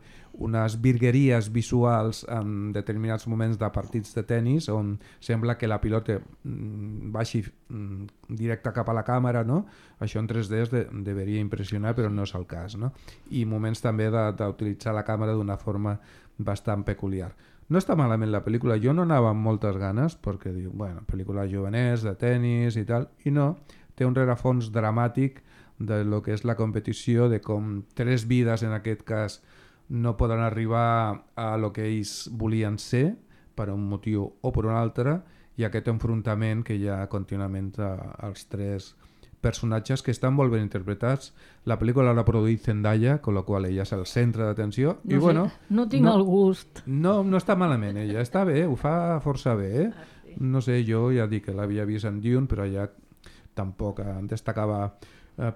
unes virgueries visuals en determinats moments de partits de tennis on sembla que la pilota baixi directe cap a la càmera, no? Això en 3D deveria impressionar, però no és el cas, no? I moments també d'utilitzar la càmera d'una forma bastant peculiar. No està malament la pel·lícula, jo no anava amb moltes ganes perquè diu, bueno, pel·lícula jovenès, de tennis i tal, i no, té un rerefons dramàtic de lo que és la competició, de com tres vides en aquest cas no poden arribar a lo que ells volien ser per un motiu o per un altre, i aquest enfrontament que hi ha contínuament als tres personatges que estan molt ben interpretats. La pel·lícula l'ha produït Zendaya, con la qual ella és el centre d'atenció. No, i bueno, no tinc el gust. No està malament ella, està bé, ho fa força bé. Sí. No sé, jo ja dic que l'havia vist en Dune, però ja tampoc en destacava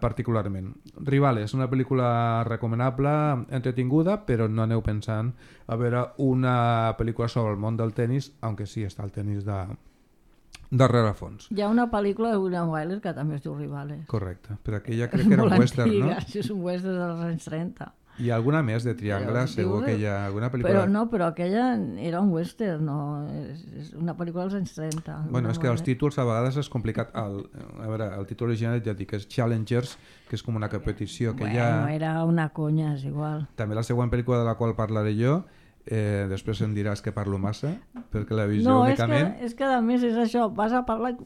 particularment. Rivales, una pel·lícula recomanable, entretinguda, però no aneu pensant a veure una pel·lícula sobre el món del tennis, aunque sí està el tennis de rerefons. Hi ha una pel·lícula de William Wyler que també es diu Rivales. Correcte, però aquella crec que era un western, no? Sí, és un western dels anys 30. I alguna més de Triangle, segur que hi ha alguna pel·lícula... Però aquella era un western, no? És una pel·lícula dels anys 30. Bueno, és que els títols a vegades és complicat. A veure, el títol original ja dic que és Challengers, que és com una competició que ja... Bueno, era una conya, és igual. També la següent pel·lícula de la qual parlaré jo, després em diràs que parlo massa, perquè la visió únicament... No, és que a més és això, vas a parlar...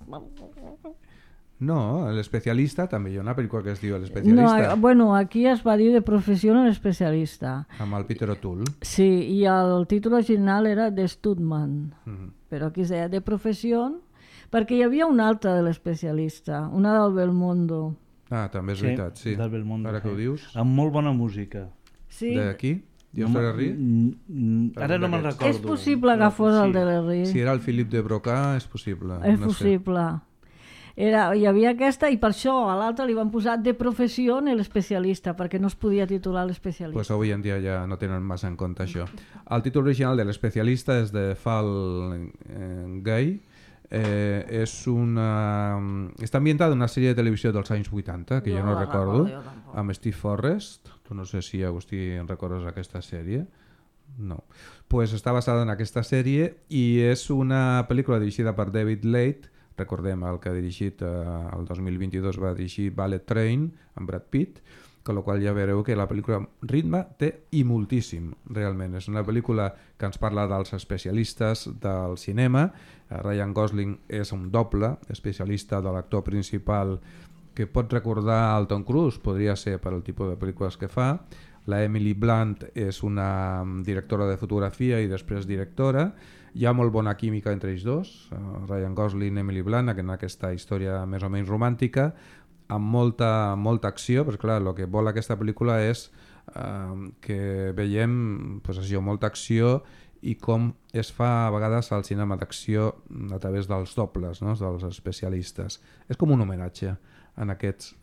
No, l'especialista també hi ha una pel·lícula que es diu l'especialista. No, bueno, aquí es va dir de professió en l'especialista. Amb el Peter O'Toole. Sí, i el títol original era de Studman, però aquí es deia de professió, perquè hi havia una altra de l'especialista, una del Belmondo. Ah, també és veritat, sí. Del Belmondo. Ara que ho dius. Amb molt bona música. Sí. D'aquí? Dios Ferrer? Ara no me'n recordo. És possible que fos el Delerry. Si era el Philippe de Broca, és possible. És possible. Hi havia aquesta, i per això a l'altre li van posar de professió l'especialista, perquè no es podia titular l'especialista. Pues avui en dia ja no tenen massa en compte això. El títol original de l'especialista és de Fall Guy. Està ambientada en una sèrie de televisió dels anys 80, que jo no recordo, amb Steve Forrest. Tu no sé si, Agustí, en recordes aquesta sèrie. No. Pues està basada en aquesta sèrie i és una pel·lícula dirigida per David Leitch. Recordem el que ha dirigit el 2022, va dirigir Bullet Train amb Brad Pitt, con lo qual ja veureu que la pel·lícula ritme té i moltíssim, realment. És una pel·lícula que ens parla dels especialistes del cinema. Ryan Gosling és un doble especialista de l'actor principal que pot recordar el Tom Cruise, podria ser per el tipus de pel·lícules que fa. La Emily Blunt és una directora de fotografia i després directora. Hi ha molt bona química entre ells dos, Ryan Gosling i Emily Blunt, en aquesta història més o menys romàntica, amb molta acció, perquè clar, el que vol aquesta pel·lícula és que veiem pues, això, molta acció i com es fa a vegades al cinema d'acció a través dels dobles, no? Dels especialistes. És com un homenatge en aquests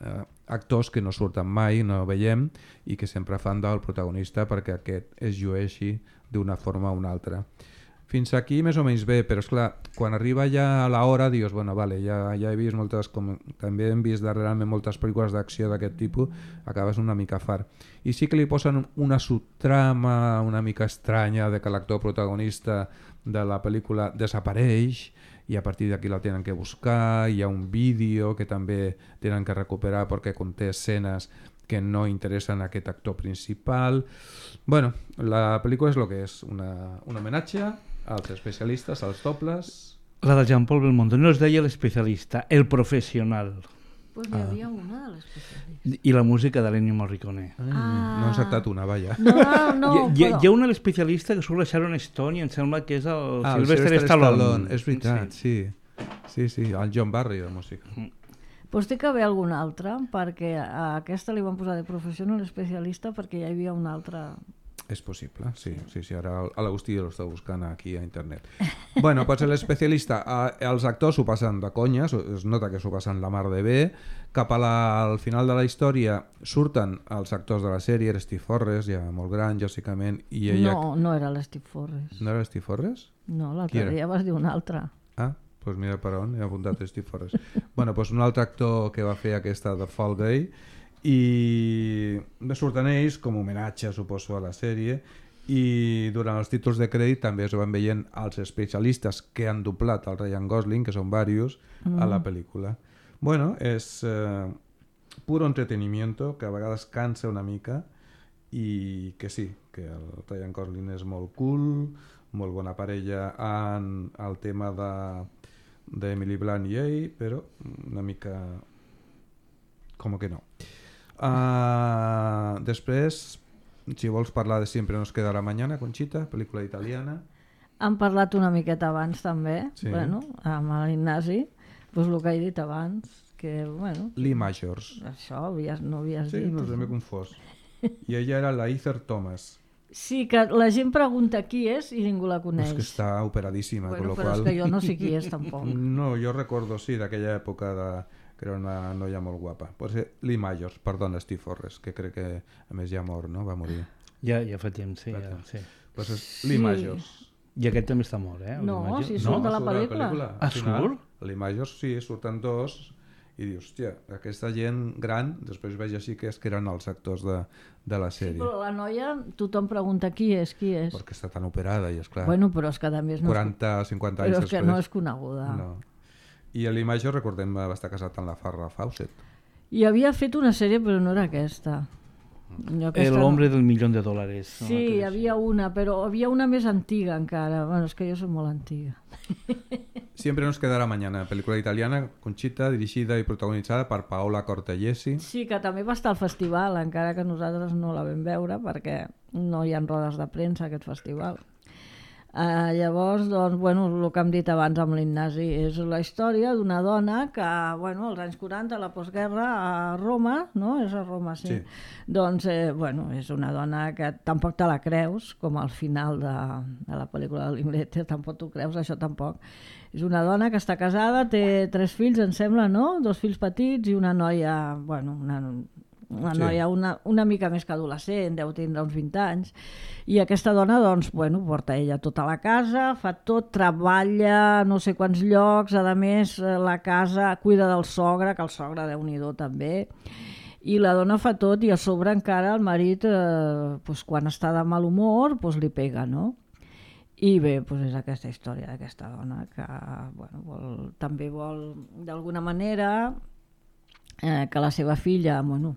actors que no surten mai, no veiem, i que sempre fan del protagonista perquè aquest es llueixi d'una forma o una altra. Fins aquí més o menys bé, però esclar, quan arriba ja a l'hora dius, bueno, vale, ja he vist moltes, com també hem vist darrerament moltes pel·lícules d'acció d'aquest tipus, acabes una mica fart. I sí que li posen una subtrama una mica estranya de que l'actor protagonista de la pel·lícula desapareix i a partir d'aquí la tenen que buscar, hi ha un vídeo que també tenen que recuperar perquè conté escenes que no interessen a aquest actor principal. Bueno, la pel·lícula és el que és, un homenatge als especialistes, als dobles. La de Jean-Paul Belmondo no es deia l'especialista, el professional. Pues hi havia una de l'especialista. I la música de l'Ennio Morricone. No he encertat una, vaja. No, hi ha una l'especialista que surt la Sharon Stone i em sembla que és el Sylvester Stallone. És veritat, sí. Sí, el John Barry de música. Pues té que haver alguna altra, perquè a aquesta li van posar de professional especialista perquè hi havia una altra. És possible, sí. Ara l'Agustí ja l'està buscant aquí a internet. Bueno, pues l'especialista, els actors s'ho passen de conya, es nota que s'ho passen la mar de bé. Cap al final de la història surten els actors de la sèrie, era Steve Forrest, ja molt gran, lògicament, i ella... No era l'Steve Forrest. No era Steve Forrest? No, l'altre dia vas dir un altre. Pues mira per on, he apuntat Steve Forrest. Bueno, pues un altre actor que va fer aquesta de Fall Guy, i surten ells com a homenatge, suposo, a la sèrie, i durant els títols de crèdit també es van veient els especialistes que han doblat el Ryan Gosling, que són varios, a la pel·lícula. Bueno, és puro entretenimiento, que a vegades cansa una mica, i que sí, que el Ryan Gosling és molt cool, molt bona parella en el tema d'Emily Blunt i ell, però una mica com que no. Després, si vols parlar de Siempre nos quedará mañana, Conxita, pel·lícula italiana. Han parlat una miqueta abans també, sí. Bueno, amb l'Ignasi, doncs el que he dit abans, que bueno... Lee Majors. Això no havies dit. Sí, no m'he confós. I ella era la Heather Thomas. Sí, que la gent pregunta qui és i ningú la coneix. És que està operadíssima, bueno, però és que jo no sé qui és tampoc. No, jo recordo, sí, d'aquella època que era una noia molt guapa. Pot ser Lee Majors, perdona, Steve Forrest, que crec que a més ja mort, no? Va morir. Ja fa temps, sí. Sí. Pues és Lee Majors. I aquest també està mort, eh? No, si surt de la pel·lícula. Surt? Lee Majors, sí, surten dos, i dius, hòstia, aquesta gent gran, després veig així que eren els actors de la sèrie. Sí, però la noia, tothom pregunta qui és. Perquè està tan operada i esclar. Bueno, però és que també és... 40, 50 anys després. Però és que no és coneguda. No. I Lee Majors, recordem, va estar casat amb la Farrah Fawcett. I havia fet una sèrie, però no era aquesta. El hombre del $1.000.000. No? Sí, hi havia una, però havia una més antiga encara. Bueno, és que jo soc molt antiga. Siempre nos quedará mañana, pel·lícula italiana, Conxita, dirigida i protagonitzada per Paola Cortellesi. Sí, que també va estar al festival, encara que nosaltres no la vam veure, perquè no hi ha rodes de premsa a aquest festival. Llavors, doncs, bueno, el que hem dit abans amb l'Ignasi, és la història d'una dona que, bueno, als anys 40, a la postguerra, a Roma, no? És a Roma, sí. Doncs, bueno, és una dona que tampoc te la creus, com al final de la pel·lícula de Linklater, tampoc t'ho creus, això tampoc. És una dona que està casada, té 3 fills, em sembla, no? 2 fills petits i una noia, bueno, una noia una mica més que adolescent, deu tindre uns 20 anys, i aquesta dona, doncs, bueno, porta ella tota la casa, fa tot, treballa no sé quants llocs, a més, la casa cuida del sogre, que el sogre Déu-n'hi-do també, i la dona fa tot, i a sobre encara el marit, doncs, quan està de mal humor, doncs li pega, no? I bé, doncs és aquesta història d'aquesta dona que bueno, també vol, d'alguna manera, que la seva filla, bueno,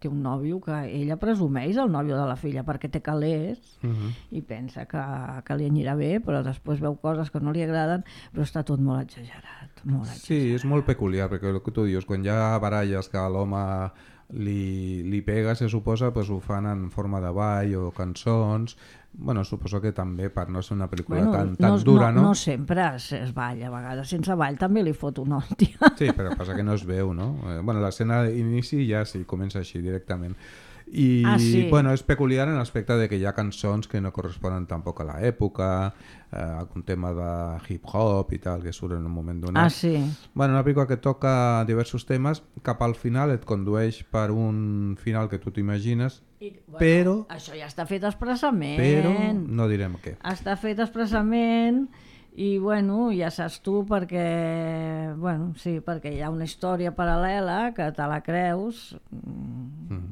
té un nòvio que ella presumeix el nòvio de la filla perquè té calés i pensa que li anirà bé, però després veu coses que no li agraden, però està tot molt exagerat. Sí, és molt peculiar, perquè el que tu dius, quan hi ha baralles que l'home li pega, se suposa, pues ho fan en forma de ball o cançons. Bueno, suposo que també per no ser una pel·lícula tan dura, no? No sempre es balla, a vegades sense ball també li fot una hòstia. Sí, però passa que no es veu, no? Bueno, l'escena d'inici ja sí, comença així directament. I sí. Bueno, és peculiar en l'aspecte de que hi ha cançons que no corresponen tampoc a l'època, algun tema de hip-hop i tal, que surt en un moment donat. Sí. Bueno, una pel·lícula que toca diversos temes, cap al final et condueix per un final que tu t'imagines, bueno, però... Això ja està fet expressament. Però no direm què. Està fet expressament i, bueno, ja saps tu perquè, bueno, sí, perquè hi ha una història paral·lela que te la creus,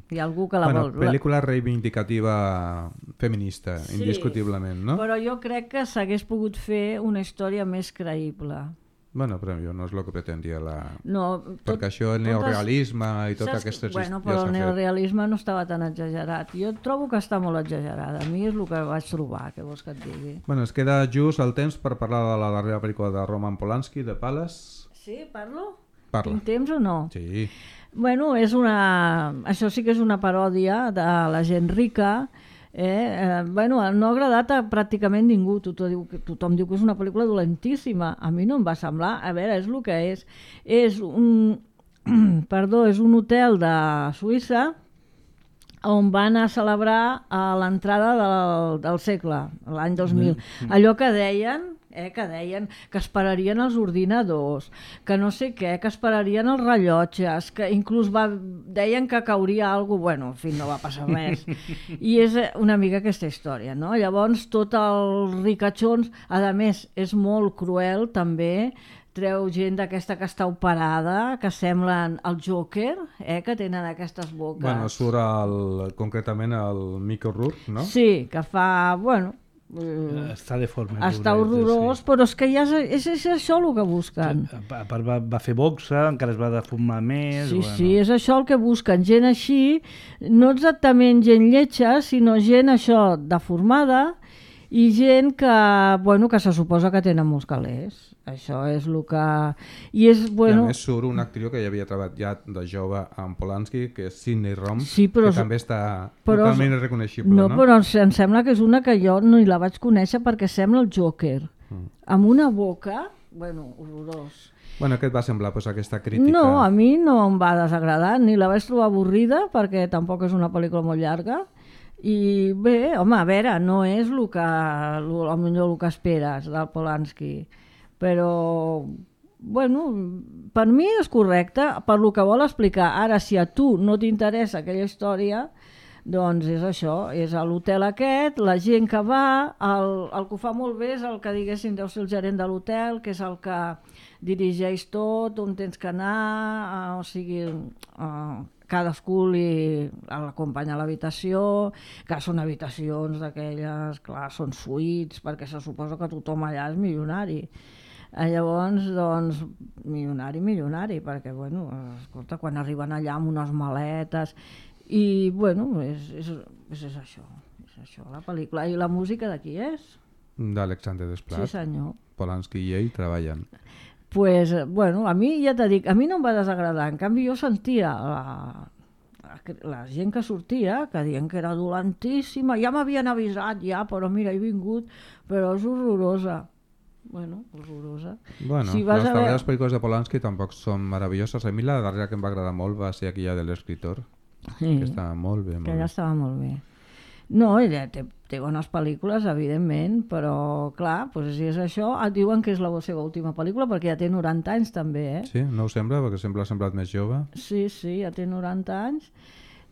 hi ha algú que la vol... Pel·lícula reivindicativa feminista, sí, indiscutiblement, no? Però jo crec que s'hagués pogut fer una història més creïble. Bueno, però jo no és el que pretendia perquè això, el neorealisme i tot aquestes... Bueno, però el neorealisme no estava tan exagerat. Jo trobo que està molt exagerada. A mi és el que vaig trobar, que vols que et digui. Bueno, es queda just el temps per parlar de la darrera pel·lícula de Roman Polanski, The Palace. Sí, parlo? Parla. Tinc temps o no? Sí. Bueno, això sí que és una paròdia de la gent rica. Bueno, no ha agradat a pràcticament ningú. Tothom diu que és una pel·lícula dolentíssima. A mi no em va semblar. A veure, és el que és. És un hotel de Suïssa on van a celebrar l'entrada del segle, l'any 2000. Allò que deien que esperarien els ordinadors, que no sé què, que esperarien els rellotges, que inclús deien que cauria alguna cosa, bueno, en fi, no va passar res. I és una mica aquesta història, no? Llavors, tots els ricachons, a més, és molt cruel, també, treu gent d'aquesta que està operada, que semblen el Joker, que tenen aquestes boques. Bueno, surt concretament el Mickey Rourke, no? Sí, que fa, bueno... Està deforme. Està horrorós, sí. Però és que ja és això el que busquen. Sí, a part va fer boxa, encara es va deformar més... Sí, bueno. Sí, és això el que busquen. Gent així, no exactament gent lletja, sinó gent això deformada i gent que, bueno, que se suposa que tenen molts calés. Això és el que... I a més surt una actriu que ja havia treballat de jove amb Polanski, que és Sidney Rom, sí, que també està totalment reconeixible. No, però em sembla que és una que jo no la vaig conèixer perquè sembla el Joker. Amb una boca, bueno, horrorós. Bueno, què et va semblar, pues, aquesta crítica? No, a mi no em va desagradar, ni la vaig trobar avorrida, perquè tampoc és una pel·lícula molt llarga. I bé, home, a veure, no és millor el que esperes del Polanski. Però, bueno, per mi és correcte, per lo que vol explicar. Ara, si a tu no t'interessa aquella història, doncs és això, és a l'hotel aquest, la gent que va, el que ho fa molt bé és el que diguéssim deu ser el gerent de l'hotel, que és el que dirigeix tot, on tens que anar, o sigui... cadascú l'acompanya a l'habitació, que són habitacions d'aquelles, clar, són suites, perquè se suposa que tothom allà és milionari. Llavors, doncs, milionari, perquè, bueno, escolta, quan arriben allà amb unes maletes, i, bueno, és això, la pel·lícula. I la música de qui és? D'Alexander Desplat. Sí, senyor. Polanski i ell treballen. Pues, bueno, a mi ja t'he dit, a mi no em va desagradar, en canvi jo sentia la gent que sortia, que diuen que era dolentíssima, ja m'havien avisat ja, però mira, he vingut, però és horrorosa. Bueno, horrorosa. Bueno, les darreres pel·lícules de Polanski tampoc són meravelloses. A mi la darrera que em va agradar molt va ser aquella de l'escriptor, que estava molt bé. Que estava molt bé. No, ella té bones pel·lícules, evidentment, però clar, doncs si és això, et diuen que és la seva última pel·lícula, perquè ja té 90 anys també, eh? Sí, no ho sembla, perquè sempre ha semblat més jove. Sí, ja té 90 anys,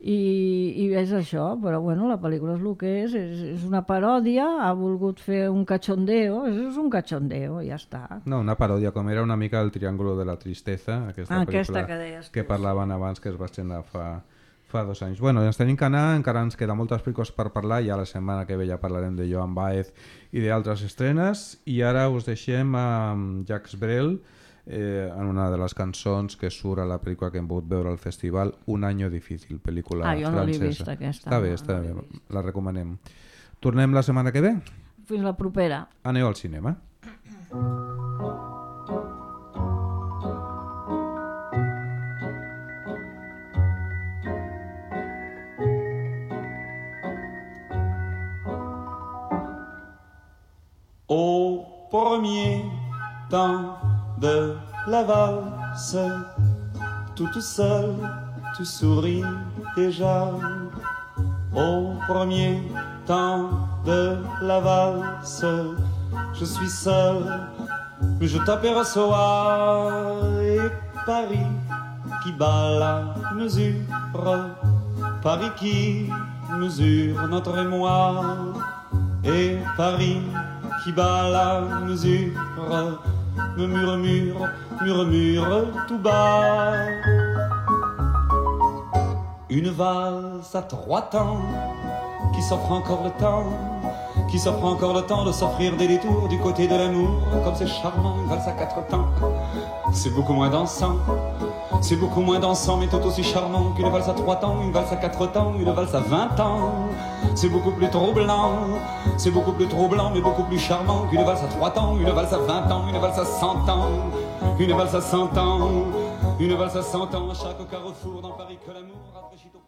i és això, però bueno, la pel·lícula és el que és una paròdia, ha volgut fer un cachondeo, és un cachondeo, ja està. No, una paròdia, com era una mica el Triángulo de la Tristeza, aquesta pel·lícula que parlaven abans, que es va estrenar fa 2 anys. Bueno, ens tenim que anar, encara ens queda moltes pel·lícules per parlar, ja la setmana que ve ja parlarem de Joan Baez i d'altres estrenes, i ara us deixem amb Jacques Brel en una de les cançons que surt a la pel·lícula que hem pogut veure al festival, Un año difícil, pel·lícula francesa. Jo no l'he vist aquesta. Està bé, la recomanem. Tornem la setmana que ve? Fins la propera. Aneu al cinema. Au premier temps de la valse, toute seule, tu souris déjà. Au premier temps de la valse, je suis seule, mais je t'aperçois. Et Paris qui bat la mesure, Paris qui mesure notre émoi. Et Paris qui bat la mesure me murmure tout bas. Une valse à 3 temps qui s'offre encore le temps, qui s'offre encore le temps de s'offrir des détours du côté de l'amour. Comme c'est charmant, une valse à 4 temps, c'est beaucoup moins dansant. C'est beaucoup moins dansant mais tout aussi charmant qu'une valse à 3 temps, une valse à 4 temps, une valse à 20 ans. C'est beaucoup plus troublant, c'est beaucoup plus troublant mais beaucoup plus charmant qu'une valse à 3 temps, une valse à 20 ans, une valse à 100 ans, une valse à 100 ans, une valse à 100 ans. À chaque carrefour dans Paris que l'amour rafraîchit au